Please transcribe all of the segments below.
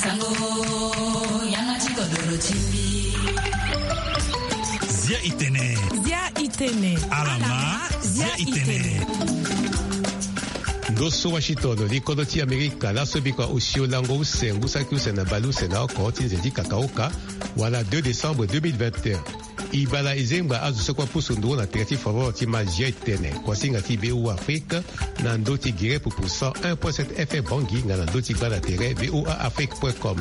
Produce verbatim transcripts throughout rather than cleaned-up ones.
Sango, yanga ti kodoro ti mbi. Zia i tene. Zia i tene. Ala ma, zia i tene. Ndo so Washington, li kodro ti Amerika, laso bikua osio lango use, ngu saki use na bale use na oko ti nze ti kakaoka, wala deux décembre deux mille vingt et un. E bala e zengba azo so kue apusu nduru na tere ti faveur ti ma zia e tene, kuasinga ti B O A Afrique, na ndö ti gere pupu cent un point sept F M Bangui, nga na ndö ti gba na tere V O A Afrique point com.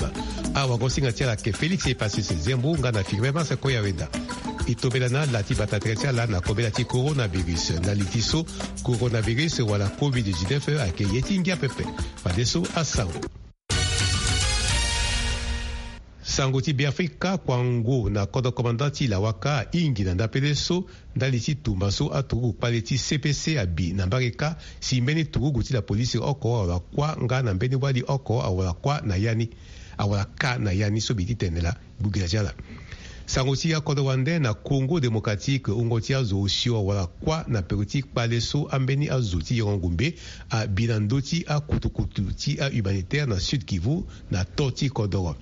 Awagosinga ti ala ayeke Félix Epasis Zembo, nga na Firmin Masse Koyaweda. E tombela na ala ti bata tere ti ala na kobela ti coronavirus. Na li ti so, coronavirus wala covid dix-neuf ayeke ye ti ngia pepe. Fadeso asango. Sango ti Beafrika, kuango na kodro komanda ti Lawaka ahingi na ndapele so ndali ti tumba so aturugu kpale ti C P C abi na mbage kâ, si mbeni turugu ti lapolisi oko awara kuâ nga na mbeni wali oko awara kuâ na ya ni, awara kâ na ya ni so mbi ti tene laa. Gbugila ti ala. Sango ti akodro wande na Congo Démocratique, wungo ti azo osio awara kuâ na peko ti kpale so ambeni azo ti yengo ngumbe abi na ndö ti akutukutu ti ahumanitaire na Sud Kivu, na to ti kodoro.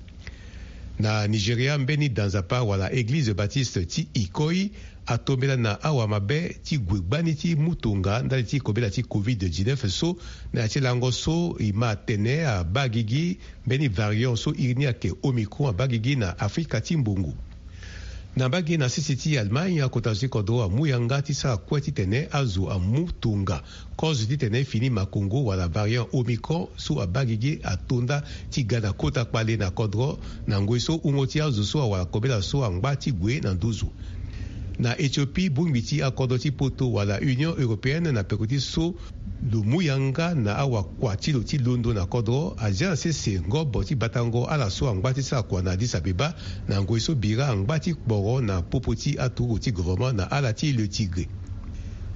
Na Nigeria, mbeni danzapa wala Église Baptiste ti Ikoyi atombela na awamabe ti gue gbani ti mu tonga ndali ti kobela ti covid dix-neuf so, na ya ti lango so e ma tene abaa gigi mbeni variant so iri ni ayeke Omicron abaa gigi na Afrika ti mbongo. Na mbage na sese ti Allemagne, akota zo ti kodro amu yanga ti sara kue titene azo amu tonga kozo titene fini makongo wala variant Omicron so abaa gigi ato nda ti ga na kota kpale na kodro, na ngoi so wungo ti azo so awara kobela so angba ti gue na nduzu. Na Éthiopie, bongbi ti akodro ti poto wala Union Européenne na peko ti so lo mu yanga na awakua ti lo ti londo na kodro azia na sese ngobo ti batango ala so angba ti sara kua na Addis Abeba, na ngoi so bira angba ti kporo na popo ti aturugu ti gouvernement na ala ti Le Tigré.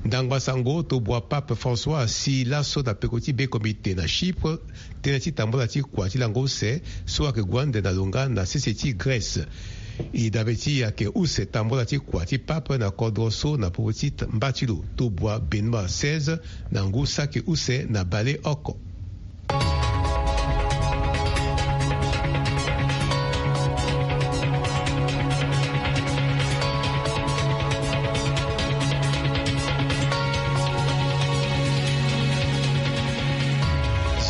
Ndangba sango tobua Pape François asi laso na peko ti be komite na Chypre, tënë ti tambula ti kua ti lango use so ayeke gue ande na lo nga na sese ti Grèce. E dabe ti e ayeke use tambula ti kua ti pape na kodro so na popo ti t-, mba ti lo tobua Benoît seize na ngu saki use na baleoko.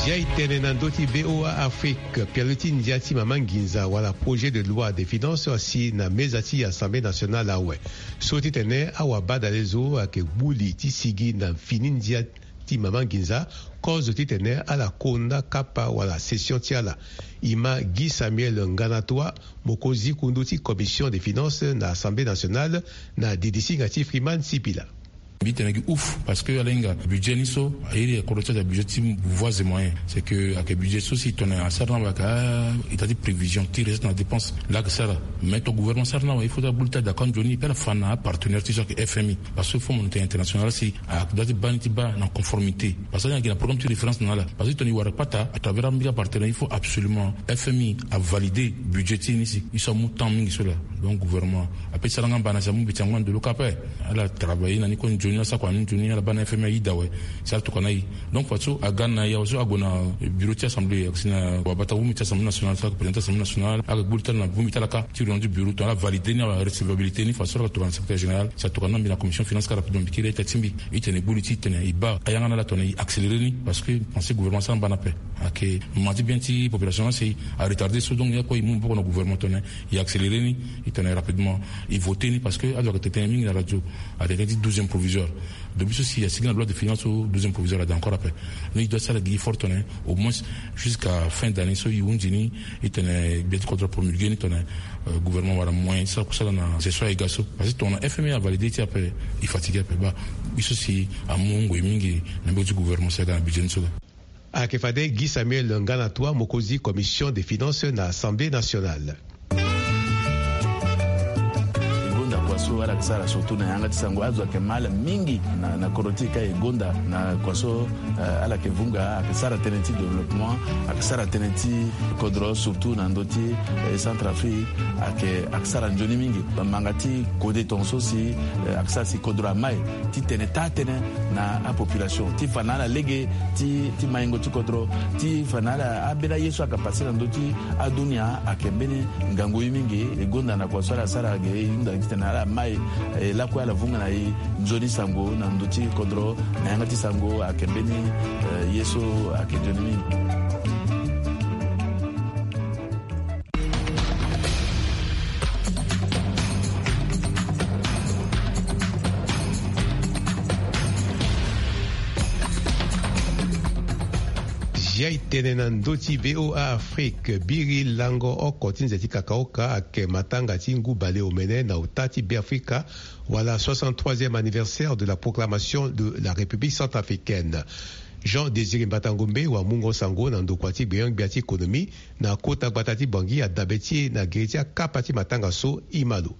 Zia e tene na ndö ti V O A Afrique. Pialo ti ndia ti mama nginza wala projet de loi de finance asi na meza ti Assemblée nationale awe. So titene awabadale zo ayeke gbu li ti sigi na fini ndia ti mama nginza, kozo titene ala konda kapa wala session ti ala. E ma Guy Samuel Nganatoua, mokonzi kundu ti commission des finances na Assemblée nationale, na didisinga ti Freeman Sipila. Mbi tene gi ouf parce que ala hinga budget ni so, airi kodro ti aza budget ti voies et moyens. C'est que ayeke budget so si tongana asara na wala ayeke, ah, état ti prévision ti recette na dépense. Laa ayeke sara. Mais ton gouvernement sara na wala, il faut ti agbu li ti adako nzoni, pe ala fa na apartenaire ti so ayeke F M I. Parce que Fonds Monétaire International si adoit ti baa ni ti baa na conformité. Parce que ala hinga gi na programme ti référence na ala. Parce que tongana e wara kpata à travers ambeni apartenaire, il faut absolument F M I avalider budget ti e ni si. E so amu temps mingi so laa. Donc gouvernement ape ti sara nga mbana si amu mbeti yango na ndelo kâ ape. Ala travailler na ni kue nzoni, ala sara kua ni nzoni, ala baa na F M I aye daa awe. Si ala tokua na e. Donc fadeso aga na ya so ague na bureau ti assemblée, si na wabata bongbi ti assemblée nationale, so ayeke président ti assemblée nationale, ayeke gbu li ti ala na bongbi ti ala kâ ti réunion ti bureau, tongana ala valider ni, ala recevabilité ni, fadeso ala tokua na secrétaire général, si atokua na mbi na commission finance kâ rapidement, mbi kiri ita ti mbi. E tene gbu li ti tene e baa ayanga na ala tongana e accélérer ni, parce que pensé gouvernement asara mbana ape. Ayeke ma ti bien ti population na si aretarder so, donc ni akue e mu maboko na gouvernement tongana e accélérer ni, e tene rapidement e voter ni, parce que azo ayeke tene mingi na radio, atene ti douzième provisoire. Depuis so si asigi na loi de finance so, douzième provisoire ade encore ape. Ni e doit sara gi effort tongana au moins jusqu'à fin d'année so e hunzi ni, e tene gbia ti kodro apromulguer ni tongana, euh, gouvernement awara moyen ti sara kusala na gestion aye ga so. Parce que tongana F M I avalider ti ape, e fatiguer ape. Baa e so si amu ngoi mingi na mbage ti gouvernement so aga na budget ni so laa. Ayeke fade Guy Samuel Nganatoua, mokonzi commission des finances na Assemblée nationale. So ala yeke sara surtout na yanga ti sango azo ayeke ma ala mingi na kodro ti e ka e gonda na kua so. Ala yeke vunga ayeke sara tënë ti développement, ayeke sara tënë ti kodro surtout na ndö ti centre afrique. Ayeke sara nzoni mingi manga ti kode tonga so si ayeke sara si kodro ama e ti tene taa tënë na apopulation ti fa na ala lege ti maingo ti kodro ti fa na ala ambeni aye so ayeke pase na ndö ti adunia ayeke mbeni ngangu ye mingi. E gonda na kua so ala sara ge e hunda titene ala ma e lakue ala vunga na e nzoni sango na ndö ti kodro na yanga ti sango ayeke mbeni ye so ayeke nzoni mingi. Zia e tene na ndö ti VOA Afrique. Biri lango oko ti nze ti kakaoka ayeke matanga ti ngu baleomene na ota ti Beafrika wala soixante-troisième anniversaire de la proclamation de la République centrafricaine. Jean Désiré Mbatangombe wa mungo sango na ndokua ti gbeon-gbia ti économie na kota gbata ti Bangui adabe ti e na gere ti akapa ti matanga so e ma lo.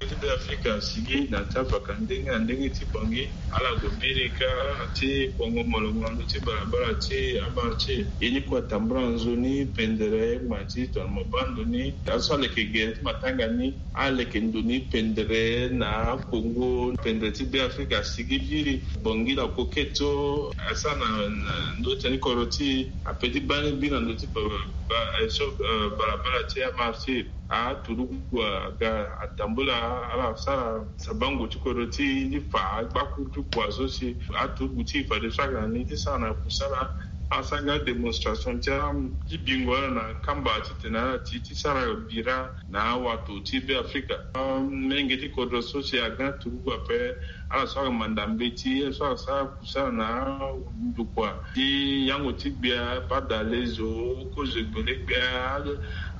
Ti Beafrika asigi na ti avaka ndenge na ndenge ti Bangui. Ala gue mbiri ka ti bongo molongo na ndö ti balabala ti amara ti e. Ye ni kue atambula nzoni pendere ngbanga ti tongana mabando ni. Azo so aleke gere ti matanga ni aleke ndo ni pendere na akongo pendere ti Beafrika asigi biri. Bangui na koketo asara na ndö ti teni kodro ti e ape ti baa ni biri na ndö ti balabala ti amara ti e. Aturugu aga atambula ala sara sabango ti kodro ti e ti fa agbakuru ti kua so si aturugu ti e fadeso aga na ni ti sara na kusala. Asara nga démonstration ti abingo ala na kamba titene ala ti ti sara bira na awato ti Beafrika. Amenge ti kodro so si aga turugu ape ala so aga manda mbeti ala so aga sara kusala na ndokua ti yango ti gbia, badalezo, kozo gbele-gbia.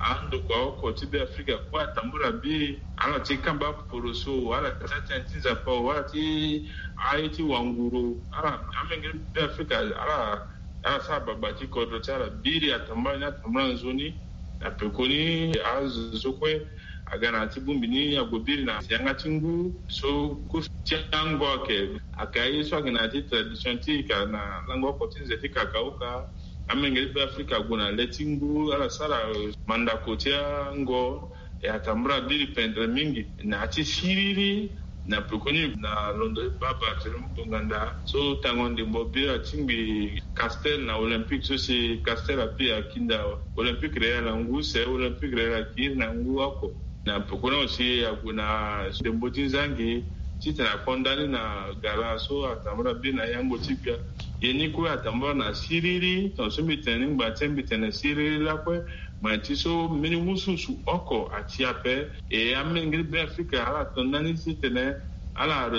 Andokua oko ti Beafrika kue atambula biri. Ala ti kamba poroso, ala ti atene ti nzapa o, ala ti aye ti wanguru. Ala amenge ti Beafrika ala ala sara baba ti kodro ti ala biri atambula ni atambula nzoni. Na pekoni azo so kue aga na ya ti bongbi ni ague biri na yanga ti ngu so kosi ti ango ayeke. Ayeke aye so ayeke na ya ti tradition ti e ka na lango oko ti nze ti kakaoka. Amenge ti Beafrika ague na le ti ngu ala sara mandako ti ango. E atambula biri pendere mingi na ya ti siriri. Na pekoni na londo ti baba ti lo mu tonganda so tango ndembo biri atingbi castel na olympique so si castel api akinda olympique real na ngu se olympique real akiri na ngu oko. Na pekoni aussi ague na ndembo ti nzangi titene akonda ni na gala so atambula biri na yango ti gbia. Ye ni kue atambula na siriri tonga so mbi tene ni ngba ti mbi tene siriri lakue. Ngbanga ti so mbeni wusuwusu oko ati ape. E amenge ti Beafrika ala to ndani titene ala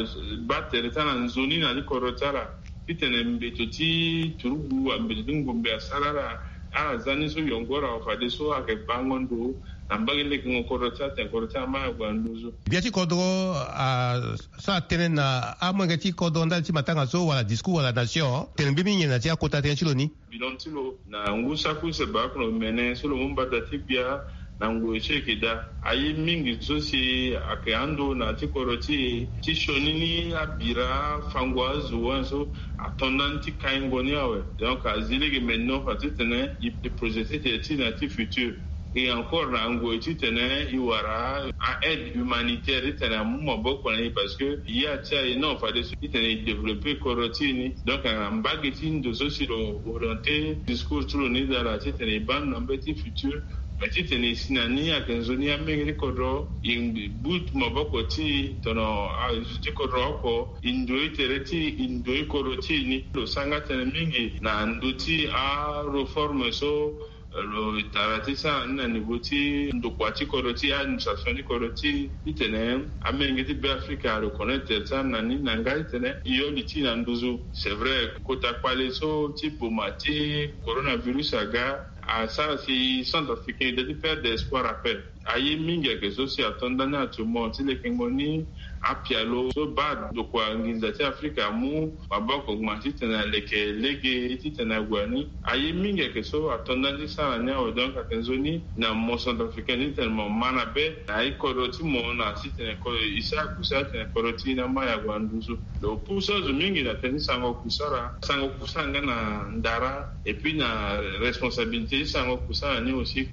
baa tere ti ala nzoni na ti kodro ti ala titene mbeto ti turugu mbeto ti ngombe asara ala. Ala za ni so yongoro awe fadeso ayeke bango ndo na mbage lekengo kodro ti ala tene kodro ti ala ma ague na nduzu. Gbia ti kodro asara tënë na amolenge ti kodro ndali ti matanga so wala discours wala nation tene mbeni nyen na ti akota tënë ti lo ni? Bilan ti lo na ngu saki use baa oko na omene so lo mu mbada ti gbia na ngoi so e yeke daa aye mingi so si ayeke ando na ti kodro ti e ti sioni ni abira afango azo wani so ato ndani ti kaingo ni awe. Donc azi lege me no fa titene e projete ti e ti na ti futur. E encore na ngoi titene e wara a aide humanitaire titene amu maboko na e parce que ye ati aye non fadeso titene e développer kodro ti e ni. Donc na mbage ti ndo so si lo orienter discours ti lo ni dala titene e baa ndo na mbage ti futur. Mais titene e si na ni ayeke nzoni amenge ti kodro e butu maboko ti e tono azo ti kodro oko e ndoi tere ti e e ndoi kodro ti e ni. Lo sara nga tënë mingi na ndö ti areforme so lo tara ti sara ni na niveau ti ndokua ti kodro ti administration ti kodro ti titene amenge ti Beafrika areconnaitre ti sara na ni na nga titene e yo li ti na nduzu. C'est vrai kota kpale so ti boma ti coronavirus aga asara si centrafricain ida ti perdre espoir ape. Aye mingi ayeke so si ato ndani actuellement ti lekengo ni apialo so baa ndokua nginza ti Afrika amu maboko gma titene aleke lege titene ague na ni. Aye mingi ayeke so ato ndani ti sara ni awe. Donc ayeke nzoni na mo centrafricain titene mo ma na be na aye kodro ti mo na titene kodro e sara kusara titene kodro ti e ni ama ya ague na nduzu. Donc pour so azo mingi na tënë ti sango kusara sango kusara nga na ndara et puis na responsabilité ti sango kusara ni aussi.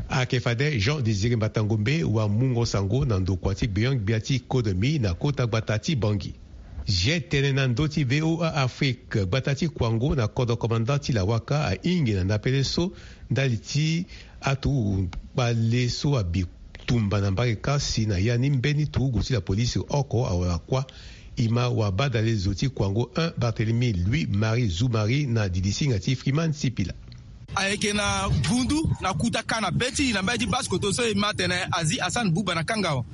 Ayeke fade Jean Désiré Mbatangombe wa mungo sango na ndokua ti gbeon-gbia ti kodro mi na kota gbata ti Bangui. Zia tene na ndö ti VOA Afrique, gbata ti Kouango na kodro komanda ti Lawaka ahingi na ndapele so ndali ti aturugu kpale so abi tumba na mbage kasi na ya ni mbeni turugu ti la police oko awara kuâ. E ma wa badale zo ti Kouango un Barthélemy Louis Marie Zoumari na didisinga ti Freeman Sipila. Ayeke na vundu na kuta ka na be ti e na mbage ti Basse-Kotto so e ma atene azi Hassan Bouba na kanga awe.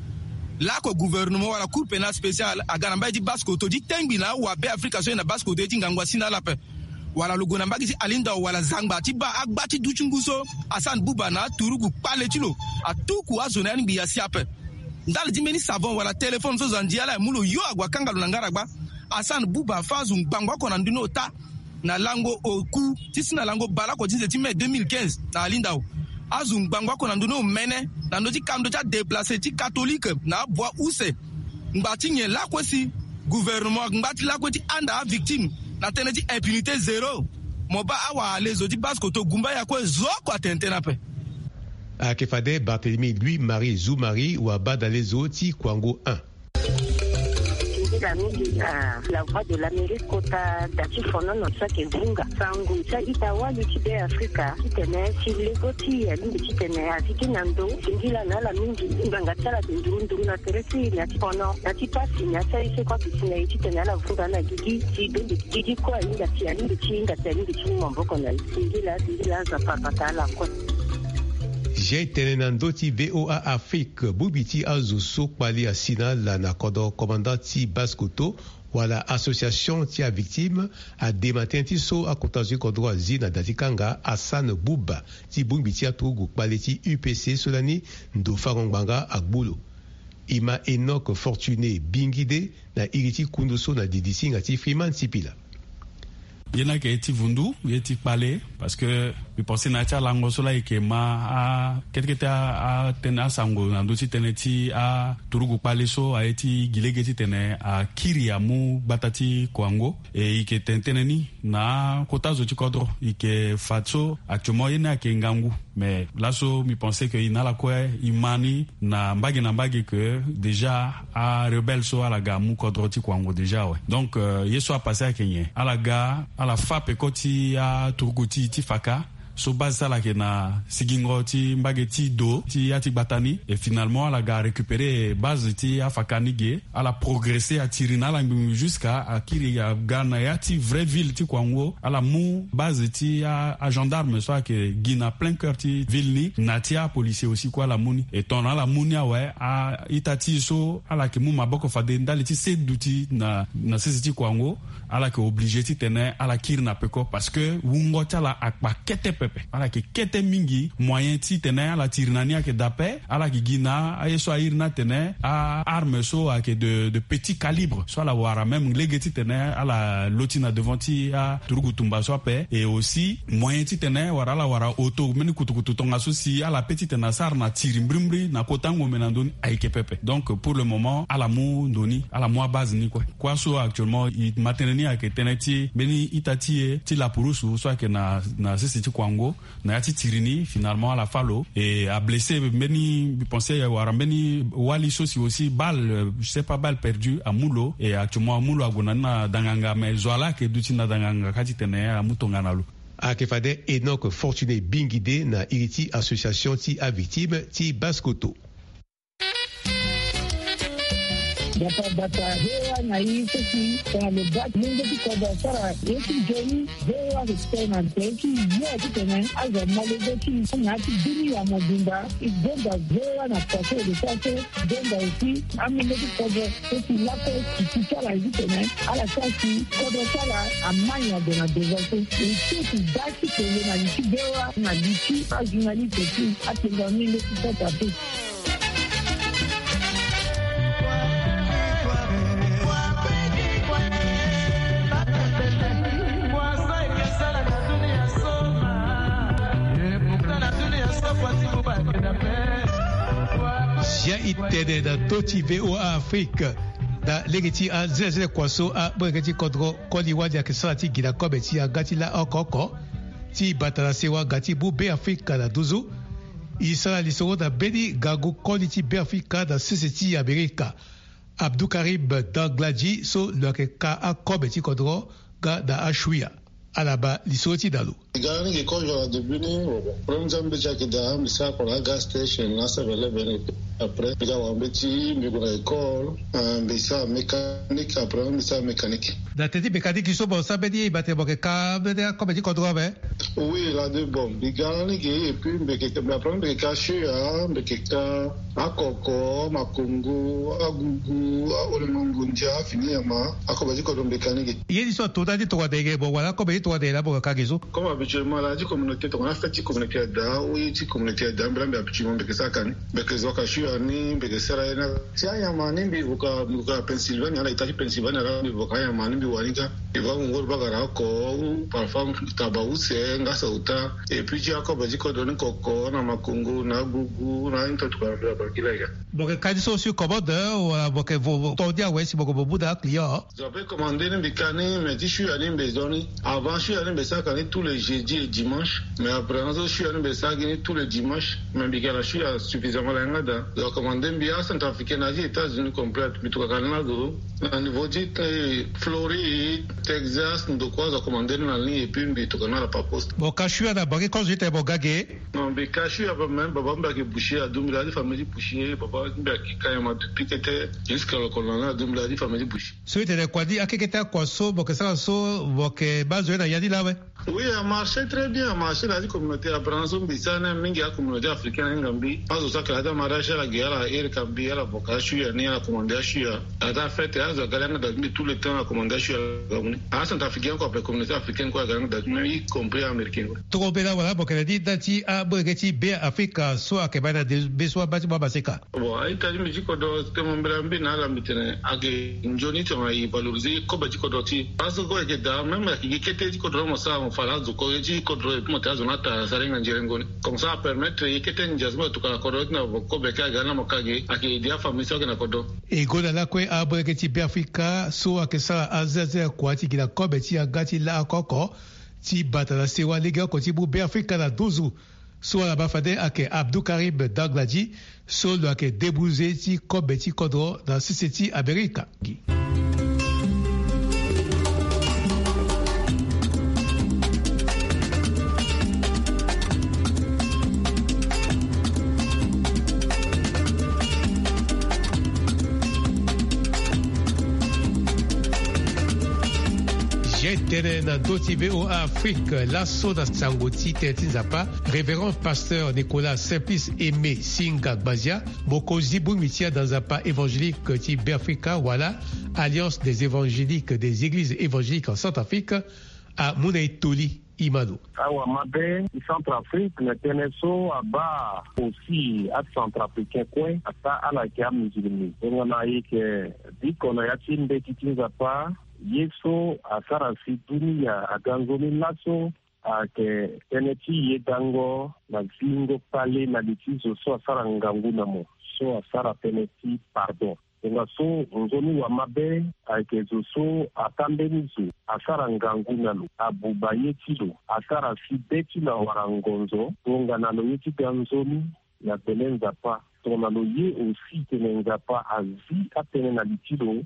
Lako gouvernement wala Cour pénale spéciale aga na mbage ti Basse-Kotto ti tengbi na awabe Afrika so e na Basse-Kotto ye ti ngangu asi na ala ape. Wala lo gue na mbage ti Alindao wala Zangba ti baa agba ti du ti ngu so Hassan Bouba na aturugu kpale ti lo atuku azo na ya ni ngbii asi ape. Ndali ti mbeni savon wala téléphone so zo andi ala e mu lo yo ague akanga lo na ngaragba. Hassan Bouba afâ azo ngbangbo oko na ndö ni ota na lango oku ti si na lango baleoko ti nze ti mai deux mille quinze na Alindao. Azo ngbangbo oko na ndö ni omene na ndö ti kando ti adéplacé ti catholique na abua use. Ngba ti nyen lakue si gouvernement ngba ti lakue ti anda avictime na tënë ti impunité zéro. Mo baa awara le zo ti Basse-Kotto gumba ya kue zo oko atene tënë ape. Ayeke fade Barthélemy Louis Marie Zoumari wa badale zo ti Kouango un. Singila mingi na La Voix de l'Amérique kota da ti fonono so ayeke vunga sango ti a-ita wali ti Be Afrika titene si lego ti e alingbi titene azi gi na ndo. Singila na ala mingi. Ngbanga ti ala ayeke nduru nduru na tere ti e na ya ti fono na ya ti pasi na ya ti aye so e kue ayeke si na e titene ala vunga na gigi ti bembe gigi kue ahinga si alingbi ti hinga si alingbi ti mu maboko na e. Singila singila azo apara pata ala kue. Zia e tene na ndö ti VOA Afrique, bongbi ti azo so kpali asi na ala na kodro komanda ti Basse-Kotto wala association ti avictime adema tënë ti so akota zo ti kodro azi na da ti kanga Hassan Bouba ti bongbi ti aturugu kpale ti U P C so lani ndo fango ngbanga agbu lo. E ma Enoch Fortuné Bingide na iri ti kundu so na didisinga ti Freeman Sipila. Ye ni ayeke ye ti vundu ye ti kpale parce que mbi pense na ya ti alango so laa e yeke ma a kete kete a- atënë asango na ndö ti tënë ti aturugu kpale so aye ti gi lege titene akiri amu gbata ti Kouango. E e yeke tene tënë ni na akota zo ti kodro e yeke fa so actuellement ye ni ayeke ngangu. Mais laso mbi pense que e na ala kue e ma ni na mbage na mbage que déjà arebelle so ala ga amu kodro ti Kouango déjà awe. Donc euh, ye so apasse ayeke nyen? Ala ga ala fâ peko ti aturugu ti ti faka so base ti ala ayeke na sigingo ti mbage ti do ti ya ti gbata ni. Et finalement ala ga arécupérer base ti afaka ni ge. Ala progresser atiri na ala ngbingbi jusqu'à akiri aga na ya ti vraie ville ti Kouango. Ala mu base ti a- agendarme so ayeke gi na plein cœur ti ville ni na ti apolicier aussi kue ala mu ni. Et tongana ala mu ni awe a-ita ti e so ala yeke mu maboko fade ndali ti se duti na na sese ti Kouango. Ala yeke obligé titene ala kiri na peko parce que wungo ti ala akpa kete pepe. Ala yeke kete mingi. Moyen titene ala tiri na ni ayeke daa ape. Ala yeke gi na aye so airi ni atene a- arme so ayeke de, de petit calibre so ala wara même lege titene ala loti na devant ti aturugu tumba so ape. Et aussi moyen titene wala ala wara auto mbeni kutukutu tongaso si ala pe titene asara na tiri mbrimbri na kota ngombe na ndö ni ayeke pepe. Donc pour le moment ala mu ndo ni, ala mu abase ni kue. Kuâ so actuellement e ma tënë ni ayeke tënë ti mbeni ita ti e ti lapurusu so ayeke na na sese ti Kouango. Na ya ti tiri ni finalement ala fâ lo et ablessé mbeni, mbi pense wala mbeni wali so si aussi balle, je sais pas, balle perdue amu lo. Et actuellement amu lo ague na ni na danganga mais zo wa laa ayeke duti na danganga kâ titene amu tongana lo. Ayeke fade Enoch Fortuné Bingide na iri ti association ti avictime ti Basse-Kotto. Bata bata VOA na e so si tongana lo baa ti lenge ti kodro asara ye ti nzoni. VOA respect na nze ti yo titene azo amolenge ti na ya ti bini ya mobimba. E donda VOA na pase de pase donda aussi amolenge ti kodro so si lakue ti ti ala titene ala sara si kodro ti ala amai na gue na devant so. E so ti baa ti kele na li ti VOA na li ti ajournaliste ti atenda amolenge ti pota pe. Ya e tene na ndö ti V O A Afrique na lege ti azelazela kua so aboreke ti kodro koli wali ayeke sara ti gi na kobe ti yanga ti la oko oko ti bata na sewa ga ti bu Beafrika na nduzu. E sara lisoro na mbeni ngangu koli ti Beafrika na sese ti Amerika, Abdou Karim Dangladi, so lo yeke ka akobe ti kodro nga na ashuya. Ala baa lisoro ti dalo. E ga lani ge kozo na début ni, bon, bon. Problème ti ambeti ayeke daa, mbi sara kua na agas station, na seven eleven, après mbi ga wara mbeti, mbi gue na école, euh, mbi sara mécanique, après mbi sara mécanique. Na teti mécanique so mo sara mbeni ye, e baa tene mo yeke ka mbeni akobe ti kodro ape? Oui, la de bon. Mbi ga lani ge, et puis mbi yeke, mbi après mbi yeke ka shuya, mbi yeke ka akoko, amakongo, agugu, aolemango ndia, fini nyama, akobe ti kodro mbi yeke ka ni ge. Ye ni so ato ndani ti tongana eke mo wara akobe ti tongana eke laa mo yeke ka ge so? Comme habituellement, la ti communauté, tongana fête ti communauté ada, ou ye ti communauté ada, mbi laa mbi habituellement mbi yeke sara ka ni. Mbi yeke zo ka shuya ni, mbi yeke sara ye na ti anyama ni, mbi vo ka, mbi vo ka Pennsylvanie, ala ita ti Pennsylvanie, ala mbi vo ka anyama ni, mbi wara ni ka. Mbi vo angongoro bagara oko, ou parfois taba use, ngasa uta. Et puis ti akobe ti kodro ni koko, na makongo, na agugu, na aye ni tongana mbi abakila ya. Mo yeke ka ni so sur commande, wala mo yeke vo, vo, to ni awe si mo yeke mo mu na aclient? Zo ape commandé ni mbi ka ni, mais ti shuya ni mbi zo ni. Avant shuya ni mbi sara ka ni tous les jeudis et dimanches. Mais après na so shuya ni mbi sara gi ni tous les dimanches. Mais mbi yeke na shuya suffisamment la yanga daa. Zo commandé mbi, acentrafricain na ti États-Unis complète. Mbi tokua ka ni na zo. Na niveau ti, eh, Floride, Texas, ndokua zo commandé ni na ligne et puis mbi tokua ni na la par poste. Mo ka shuya na banque, kozo ti tene mo ga ge? Non, mbi ka shuya ape, même baba mbi ayeke boucher, aduti mbi na ya ti famille ti boucher, baba mbi ayeke ka nyama depuis kete, jusqu'à lokolo na ni aduti mbi na ya ti famille ti boucher. So e tene kua ni akekete akua so mo yeke sara so, mo yeke baa zo ye na ya ni laa awe? Oui, a marché très bien, a marché na ya ti communauté, après na so mbi sara ni mingi acommunauté africaine na hinga mbi. Azo so ayeke na ya ti amariage ala ge, ala iri ka mbi, ala vo ka ashuya ni, ala commandé ashuya. Na ya ti afête azo aga ni yanga daa ti mbi, tout le temps ala commandé ashuya, ala ga mu ni. Acentrafricain kue, après communauté africaine kue aga ni yanga daa ti mbi, y compris américain kue. Tongana mbela wala mo yeke na ni nda ti aboreke ti Beafrika so ayeke baa na de be so abaa ti mo amaseka? Bon, a-ita ti mbi ti kodro, tene mo mbela mbi na ala mbi tene ayeke nzoni tongana e valoriser kobe ti kodro ti e. Parce que kobe ayeke daa, même ayeke gi kete ti kodro mo sara, mo fa na azo ko ye ti kodro, et puis mo tene azo ni ata asara hinga nzerengo ni. Comme ça apermettre ye kete ndia so mo yeke tokua na kodro ti na vo kobe kâ aga ni na mo ka ge, ayeke aider afamille so ayeke na kodro. E gonda lakue aboreke ti Beafrika so ayeke sara azelazela kua ti gi na kobe ti yanga ti la oko oko ti bata na sewa legeoko ti mu Beafrika na nduzu. So ala baa fade ayeke Abdou Karim Dangladi, so lo yeke débouze ti kobe ti kodro na sese ti Amerika. Ye tene na ndö ti V O A Afrique, laso na sango ti tene ti Nzapa, Révérend Pasteur Nicolas Simplice Aimé Singa Gbazia, mokonzi bongbi ti ada Nzapa évangélique ti Beafrika wala Alliance des évangéliques des églises évangéliques en Centrafrique, amu na e toli. Imano. Awa mabe ti Centrafrique na tënë so abaa aussi acentrafricain kue ata ala yeke amusulmi. Tongana e yeke biko na ya ti mbeti ti Nzapa, ye so asara si dunia aga nzoni laso ayeke tënë ti yedango na zingo kpale na li ti zo so asara ngangu na mo, so asara tënë ti pardon. Tongaso nzoni wamabe ayeke zo so atambeni zo, asara ngangu na lo, abuba ye ti lo, asara si be ti lo awara ngonzo, tongana lo ye ti ga nzoni na gbele Nzapa. Tongana lo ye aussi tene Nzapa azi atënë na li ti lo,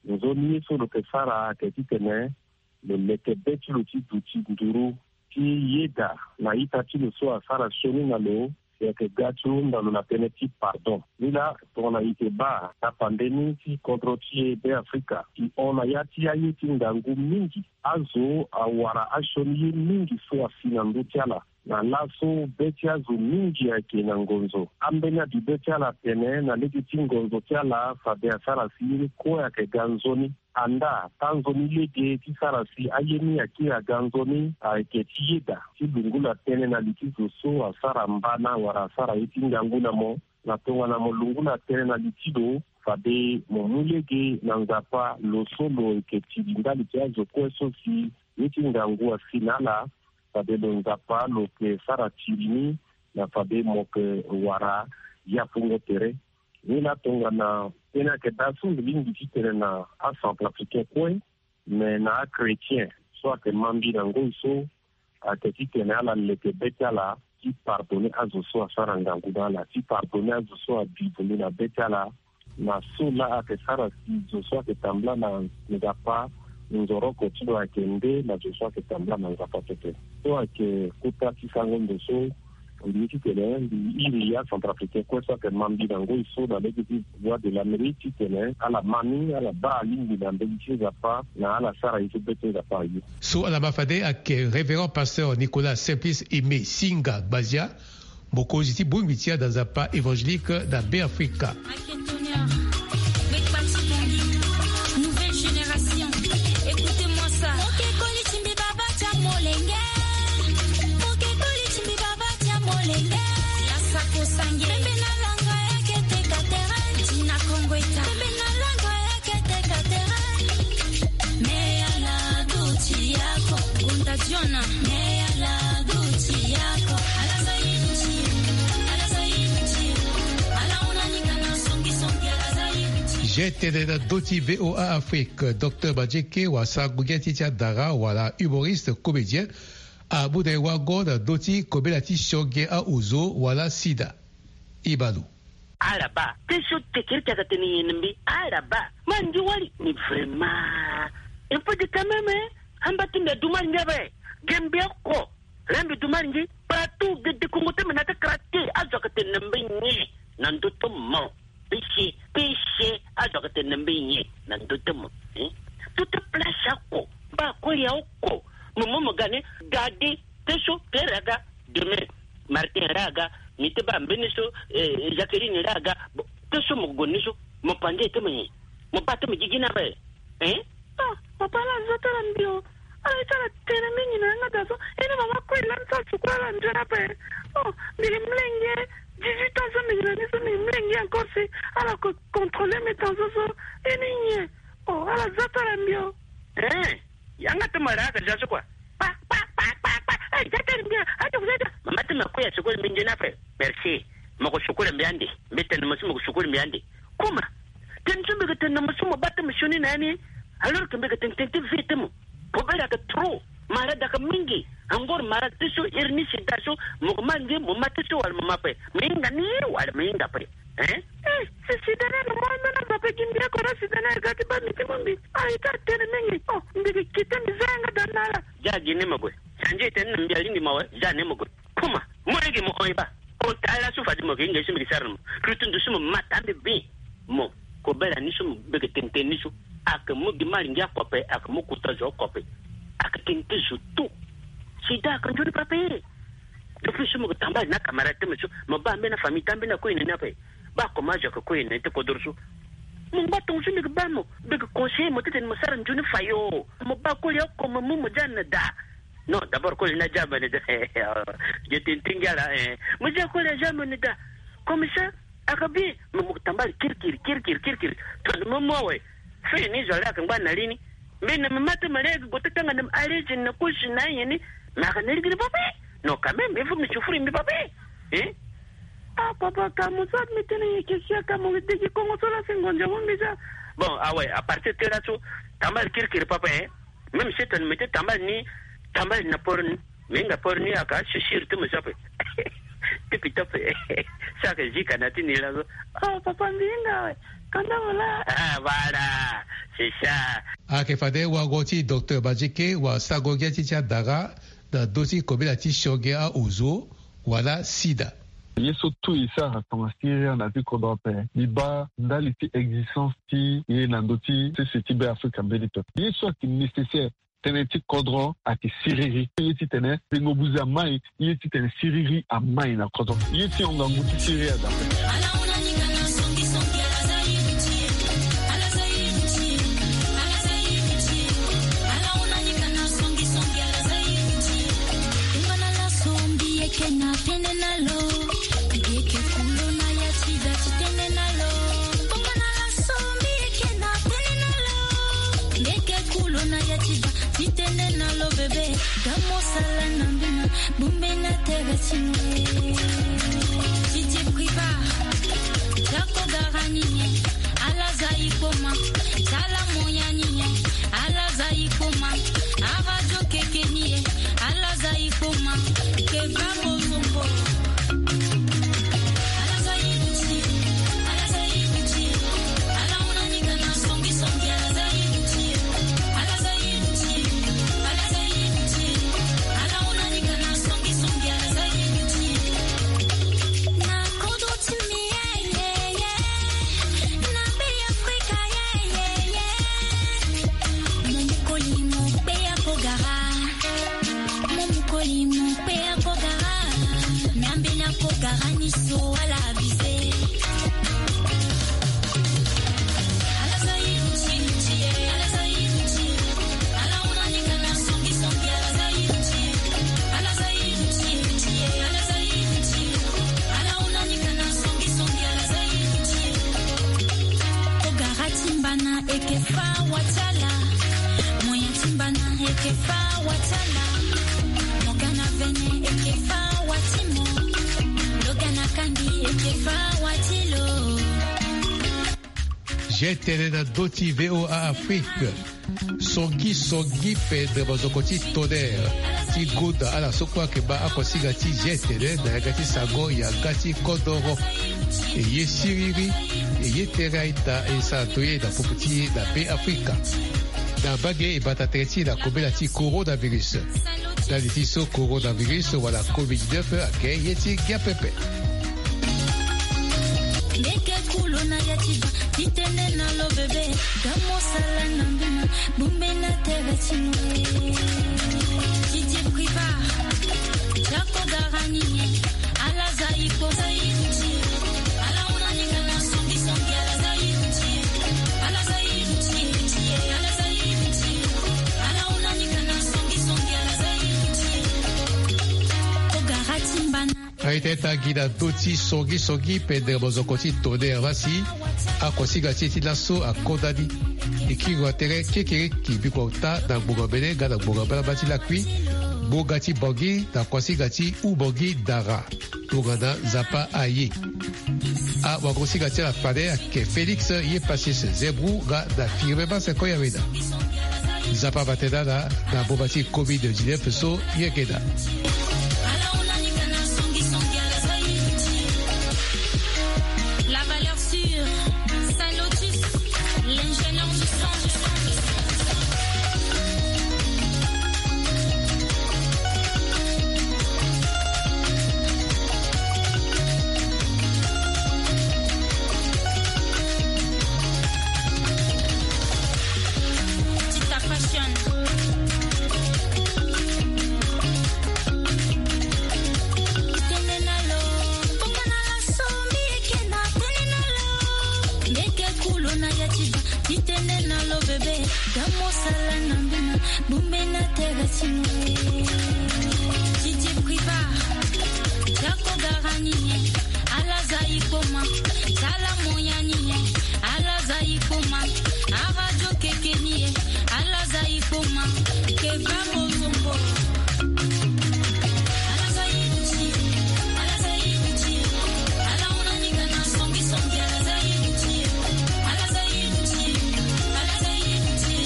nzoni ye so lo yeke sara ayeke titene lo leke be ti lo ti duti nduru ti yeda na ita ti lo so asara sioni na lo, si ayeke ga ti hunda lo na tënë ti pardon. Ni laa tongana e yeke baa tapande ni ti kodro ti e Beafrika, e hon na ya ti aye ti ngangu mingi. Azo awara asioni ye mingi so asi na ndö ti ala. Na laso be ti azo mingi ayeke na ngonzo. Ambeni abi be ti ala atene na lege ti ngonzo ti ala fade asara si ye ni kue ayeke ga nzoni. Andaa, tanzoni lege ti sara si aye ni akiri aga nzoni ayeke ti yeda ti lungula tënë na li ti zo so asara mbana wala asara ye ti ngangu na mo. Na tongana mo lungula tënë na li ti lo, fade mo mu lege na Nzapa, lo so lo yeke tiri ndali ti azo kue so si ye ti ngangu asi na ala. Fade lo Nzapa lo yeke sara tiri ni, na fade mo yeke wara yafungo tere. Ni laa tongana tënë ayeke daa so mbi lingbi titene na acentrafricain kue, me na achrétien so ayeke mä mbi na ngoi so, ayeke titene ala leke be ti ala ti pardonner azo so asara ngangu na ala, ti pardonner azo so abi vundu na be ti ala, na so laa ayeke sara si zo so ayeke tambula na Nzapa nzoroko ti lo ayeke nde na zo so ayeke tambula na Nzapa pepe. So ayeke kota ti sango ndo so mbi ye titene mbi iri acentrafricain kue so ayeke mä mbi na ngoi so na lege ti Voix de l'Amérique titene ala mä ni, ala baa alingbi na mbeni ti Nzapa, na ala sara ye so be ti Nzapa aye. So ala mä fade ayeke Révérend Pasteur Nicolas Simplice Aimé Singa Gbazia, mokonzi ti bongbi ti ada Nzapa évangélique na Beafrika. Nouvelle génération, écoutez-moi ça. Mokekoli timbi baba tia molenge. Mokekoli timbi baba tia molenge. La sako sange. Bebe na langa ya kete katere. Tina kongo eta. Bebe na langa ya kete katere. Me ala duti yako. Gonta Jona. Me ala duti yako. Ala za inti. Ala za inti. Ala una ni kana songi songi. Ala za inti. G T D na doti V O A Afrique, Docteur Madjeke, wa sango gi ti ti adara, wala humoriste, comédien, amu na e wango na doti kobela ti sionge aozo, wala sida. Ibalo. Ala baa. Te so tekere ti aka tene nyen na mbi. Ala baa. Ma ngi wali. Mais vraiment. Il faut dire quand même, hein. Amba ti mbi adu ma ngi ape. Ge mbi oko. Laa mbi du ma ngi. Partout, gede kongo ti mbi na ti kara te. Azo ayeke tene na mbi nyen. Na ndö ti mo. Péché, péché. Azo ayeke tene na mbi nyen. Na ndö ti mo. Hein? Tout te place oko. Mba koli ya oko. Mo mo mo ga ni. Gade. Te so. Te raga. Demain, Martin raga, mi te baa mbeni so, eh, Jacqueline raga, bon, te so mo gue ni so, mo pande te mo nyen? Mo baa te mo gigi ni ape, hein? Ah, papa, ala zo ti ala mbi o. Ala ye ti ala tene mingi na yanga daa so. Ini mama kue lani ti ala sukula ala nzoni ape. Oh, mbi gi mlenge, dix-huit ans so mbi gi na ni so mbi gi mlenge encore si ala ko contrôler mes tensions so. Ini nyen? Oh, ala zo ti ala mbi o. Eh, yanga ti mo ra ka ja so kua. Pa, pa, pa, pa, pa. Eh, ja tene mbi a, a, ja, ja. Mama ti mo kue asukula mbi nzoni ape. Merci. Mo ko sukula mbi ande. Mbi tene mo si mo ko sukula mbi ande. Kuma. Tene so mbi ke tene na mo so mo baa ti mo sioni na ya ni. Alors que mbi ke tene tene ti vie ti mo. Kobela ayeke trop. Malade ayeke mingi. Encore malade ti so iri ni sida so. Mo ko ma nge mo ma ti so wala mo ma ape. Mo hinga ni wala mo hinga ape. Hein? Eh, si sida ni alo mo ambeni azo ape gi mbi oko na sida ni aga ti baa mbi ti mu mbi. Ah, e ti atene mingi. Oh, mbi gi kite mbi za yanga daa na ala. Ja gi ni mo gue. Sandi e tene na mbi alingbi mo awe, ja ni mo gue. Kuma, mo lege mo hon e baa. Ota ala so fade mo gi nge so mbi gi sara na mo. Lutu ndo so mo ma taa mbi bi. Mo, kobela ni so mo bege tene tene ni so. Ayeke mu gi malingi oko ape, ayeke mu kota zo oko ape. Ayeke tene ti zo tout. Sida ayeke nzoni pape. Depuis so mo ke tambala na camarade ti mo so, mo baa mbeni afamille ti ambeni akue na ni ape. Baa comment zo ayeke kue na ni ti kodoro so. Mo ngba tongo so mbi ke baa mo, mbi ke conseiller mo titene mo sara nzoni fayo. Mo baa koli oko mo mu mo ja na daa. Non, d'abord koli ni aja mo na daa. Ge tene ti ngia laa, eh. Mo ja koli aja mo na daa. Comme ça, Aka bi, mo, mo tambala kirikiri, kirikiri, kirikiri. Tongana mo mu awe. Fini zo ala yeke ngba na li ni. Mbi na mama ti mo lege gue ti tanga na mo, allez, je n'accouche na nyen ni. Mais aka na lege ni pape. Non, quand même, il faut mbi souffrir mbi pape. Hein? Ah, papa, ka mo so mbi tene nyen ke si aka mo degi kongo so la si ngonza mo mbi za. Bon, ah ouais, à partir ti laso, tambala kirikiri pape, hein? Même si tongana mbi ti tambala ni, tambala na poro ni. Mbi hinga poro ni aka, si siri ti mo so ape. Ti pita ape. So aka zi kana ti ni laso. Oh, papa, mbi hinga awe. Kanda mo laa. Ah, voilà. C'est ça. Ayeke fade wango ti docteur Badjeke, wa sago ngia ti ti adara, na do ti kobela ti sionge aozo, wala sida. Ye so tout e sara tongana siriri na ti kodro ape, mbi baa ndali ti existence ti ye na ndö ti sese ti Beafrika mbeni pepe. Ye so ayeke nécessaire, tënë ti kodro ayeke siriri. Ye titene tengo buze amai, ye titene siriri amai na kodro. Ye ti hon ngangu ti siriri aza ape. Mbi yeke kulo na ya ti da ti tene na lo. Bongo na laso mbi yeke na tene na lo. Mbi yeke kulo na ya ti da ti tene na lo, bebe. Gamo sala na mbi na bombe na tere ti mo. Didier Priva. Tala mo ya ni e, ala za i kpoma. Aradio keke ni e, ala za i kpoma. Ke va bozongo. Ala za i duti, ala za i duti. Ala hunda ni kana songi songi, ala za i duti. Ala za i duti, ala za i duti. Ala hunda ni kana songi songi, ala za i duti. Na kodo ti mi, eh, eh, eh. Na be Afrika, eh, eh, eh. Mo mokoli mo kpe ya ko gara. Mo mokoli mo kpe ya ko gara. Miambe na ko gara ni so ala bize. Ala za i duti, duti, eh. Ala za i duti. Ala hunda ni kana songi songi, ala za i duti. Ala za i duti, duti, eh. Ala za i duti. Ala hunda ni kana songi songi, ala za i duti. Ko gara ti mbana eke fa wa ti ala. Mo ya ti mbana eke fa wa ti ala. Mo ga na vene eke fa wa ti mo. Lo ga na kangi eke fa wa ti lo. Zi tene na ndö ti V O A Afrique. Songi songi pendere mozoko ti Tonnerre ti gonda ala so kue ayeke baa akosinga ti zi tene na yanga ti sango yanga ti kodoro. E ye siriri, e ye tere aita, e sara ndo ye na popo ti e na Be Afrika. Na mbage e bata tere ti e na kobela ti coronavirus. Ndali ti so coronavirus wala covid dix-neuf ayeke ye ti ngia pepe. Ndeke kulo na ya ti da, ti tene na lo bebe, ga mo sala na mbina, bumbe na tere ti mo. Ti ti priva, jako garani, ala za i ko za i ti, ala hunda ni kana songi songi, ala za i ti, ala za i ti, ala za i ti, ala hunda ni kana songi songi, ala za i ti. Ko gara ti mbana. Aye tene tangi na ndö ti songi songi pendere mozoko ti Tonnerre, la si akosinga ti e ti laso akonda ni. E kiri wa tere kekereki bikua ota na ngbonga mbele nga na ngbonga mbalamba ti lakui. Ngbonga ti Bangui na kosinga ti Oubangui Dara. Tongana Nzapa aye. Awagosinga ti ala fade ayeke Félix ye Pacius Zembrou nga na Firmin Maseko Yawena. Nzapa ava tene na ala na boma ti covid dix-neuf so ye yeke daa. La valeur sûre, Saint Lotus, l'ingénieur du son. Tita Fashion. Tene na lo, koko na la so mbi yeke na tene na lo. Mbi yeke kulo na ya ti da, ti tene na lo bebe. Ga mo sala na mbina, bumbe na tere ti mo. Ti ti priva, jako garani. Ala za i kpoma, tala mo ya ni e. Ala za i kpoma, aradio keke ni e. Ala za i kpoma, ke va mo zongo. Ala za i duti, ala za i duti. Ala hunda ni kana songi songi, ala za i duti. Ala za i duti, ala za i duti.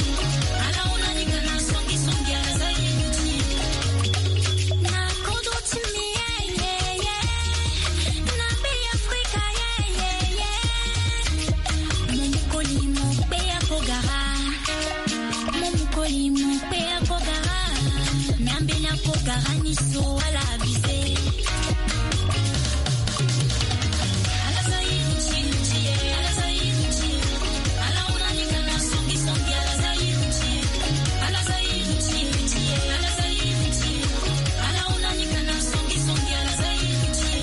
Ala hunda ni kana songi songi, ala za i duti. Na kodo ti mi, eh, eh, eh. Na be Afrika, eh, eh, eh. Mo mokoli mo kpe ya ko gara. Mo mokoli mo kpe ya ko gara. Miambe na ko gara ni so ala bize. Ala za i duti, duti, eh. Ala za i duti. Ala hunda ni kana songi songi, ala za i duti. Ala za i duti, duti, eh. Ala za i duti. Ala hunda ni kana songi songi, ala za i duti.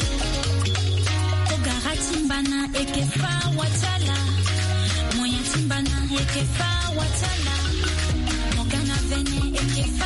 Ko gara ti mbana eke fa wa ti ala. Mo ya ti mbana eke fa wa ti ala. Mo ga na vene eke fa